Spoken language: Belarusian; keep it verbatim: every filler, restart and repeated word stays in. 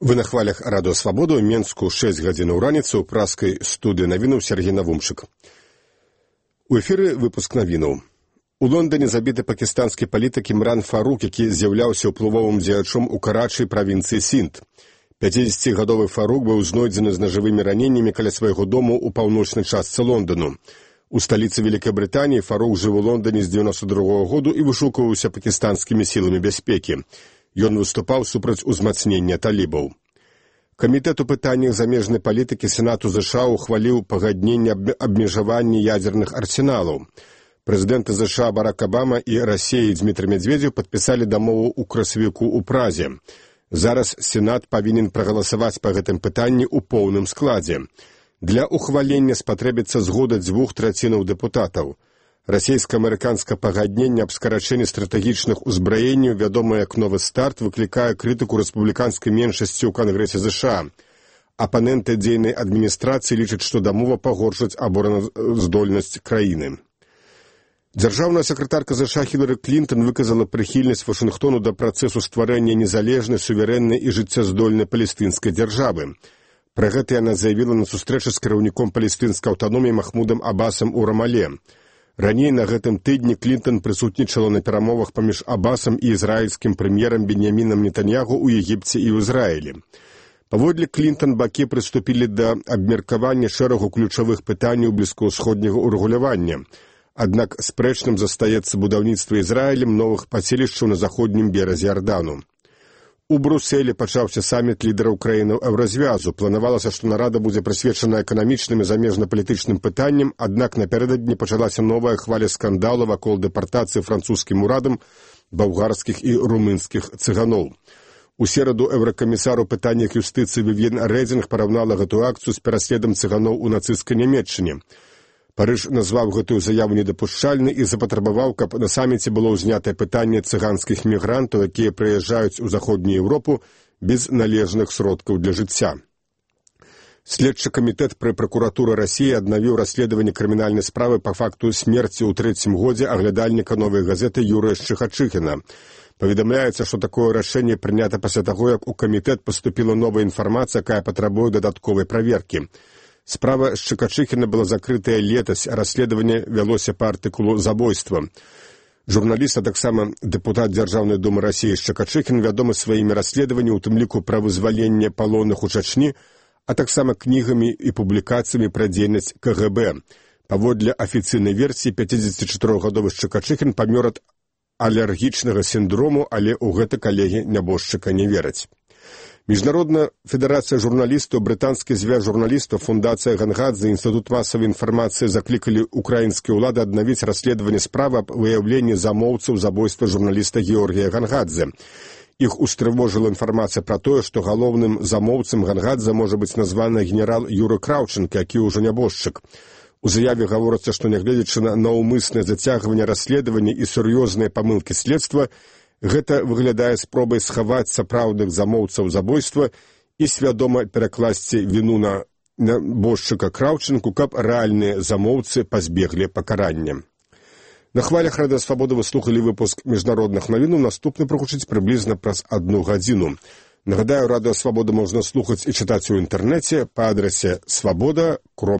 Вы на хвалях радыё Свабода ў Менску шэсць гадзін у раніцы ў праскай студыі навінаў Сергей Навумчык. У эфіры выпуск навінаў. У Лондоне забіты пакістанскі палітык Імран Фарук, які з'яўляўся ўплывовым дзеячом у Карачы правінцыі Сінд. пяцідзесяцігадовы Фарук быў знойдзены з нажавымі раненнямі каля свайго дому ў паўночнай частцы Лондану. У сталіцы Вялікай Брытаніі Фарук жыў у Лондоне з дзевяноста другога году і вышукваўся пакістанскімі сіламі бяспекі. Ён выступаў супраць узмацнення талібаў. Камітэт у пытаннях замежнай палітыкі Сенату ЗША ухваліў пагадненне аб абмежаванні ядзерных арсеналаў. Прэзідэнты ЗША Барак Абама і Расіі Дзмітрый Медведзеў падпісалі дамову ў красавіку ў Празе. Зараз Сенат павінен прагаласаваць па гэтым пытанні ў поўным складзе. Для ухвалення спатрэбіцца згода дзвюх трацінаў дэпутатаў. Расійска-амерыканскае пагадненне аб скарачэнні стратэгічных узбраенняў, вядомае як новы старт, выклікае крытыку рэспубліканскай меншасці ў Кангрэсе ЗША. Апаненты дзейнай адміністрацыі лічаць, што дамова пагоршыць абараназдольнасць краіны. Дзяржаўная сакратарка ЗША Хілары Клінтон выказала прыхільнасць Вашынгтону да працэсу стварэння незалежнай, суверэннай і жыццяздольнай палестынскай дзяржавы. Пра гэта яна заявіла на сустрэчы з кіраўніком палестынскай аўтаноміі Махмудам Абасам у Рамале. Раней на гэтым тыдні Клінтон прысутнічала на перамовах паміж Абасам і ізраільскім прэм'ерам Беньямінам Нетаньягу ў Егіпце і ў Ізраілі. Паводле Клінтон бакі прыступілі да абмеркавання шэрагу ключавых пытанняў блізкаўсходняга ўрэгулявання. Аднак спрэчным застаецца будаўніцтва Ізраілем новых паселішчаў на заходнім беразе Ярдану. У Брусэлі пачаўся саміт лідараў краінаў еўразвязу. Планавалася, што нарада будзе прысвечана эканамічным і замежна-палітычным пытанням, аднак напярэдадні пачалася новая хваля скандалу вакол дэпартацыі французскім урадам балгарскіх і румынскіх цыганоў. У сераду еўракамісар у пытаннях юстыцыі Вівьен Рэдзінг параўнала гэтую акцыю з пераследам цыганоў у нацысцкай Нямецчыне. Парыж назваў гэтую заяву недапушчальнай і запатрабаваў, каб на саміце было ўзнятае пытанне цыганскіх мігрантаў, якія прыязджаюць у заходнюю Еўропу без належных сродкаў для жыцця. Следчы камітэт пры пракуратуры Расіі аднавіў расследаванне крымінальнай справы па факту смерці ў трэцім годзе аглядальніка новай газеты Юрыя Шчыхачыхіна. Паведамляецца, што такое рашэнне прынята пасля таго, як у камітэт паступіла новая інфармацыя, якая патрабуе дадатковай праверкі. Справа Шчыкачыхіна была закрытая летась, а расследаванне вялося па артыкулу забойства. Журналіст, а таксама дэпутат Дзяржаўнай думы Расіі Шчыкачыхін вядомы сваімі расследаваннямі, у тым ліку пра вызваленне палонных у Чачні, а таксама кнігамі і публікацыямі пра дзейнасць КГБ. Паводле афіцыйнай версіі, пяцідзесяцічатырохгадовы Шчыкачыхін памёр ад алергічнага сіндрому, але ў гэта калегі нябожчыка не вераць. Міжнародная федэрацыя журналістаў, брытанскі звяз журналістаў, фундацыя Гангадзе, Інстытут масавай інфармацыі заклікалі украінскія ўлады аднавіць расследаванне справы аб выяўленні замоўцаў забойства журналіста Георгія Гангадзе. Іх устрывожыла інфармацыя пра тое, што галоўным замоўцам Гангадзе можа быць названы генерал Юры Краўченка, які ўжо нябожчык. У заяве гаворыцца, што нягледзячы на наўмыснае зацягванне расследавання і сур'ёзныя памылкі следства, гэта выглядае спробай схаваць сапраўдных замоўцаў забойства і свядома перакласці віну на нябожчыка Краўченку, каб рэальныя замоўцы пазбеглі пакарання. На хвалях радыё Свабода вы слухалі выпуск міжнародных навінаў, наступны прагучыць прыблізна праз адну гадзіну. Нагадаю, радыё Свабода можна слухаць і чытаць у інтэрнэце па адрасе свабода кропка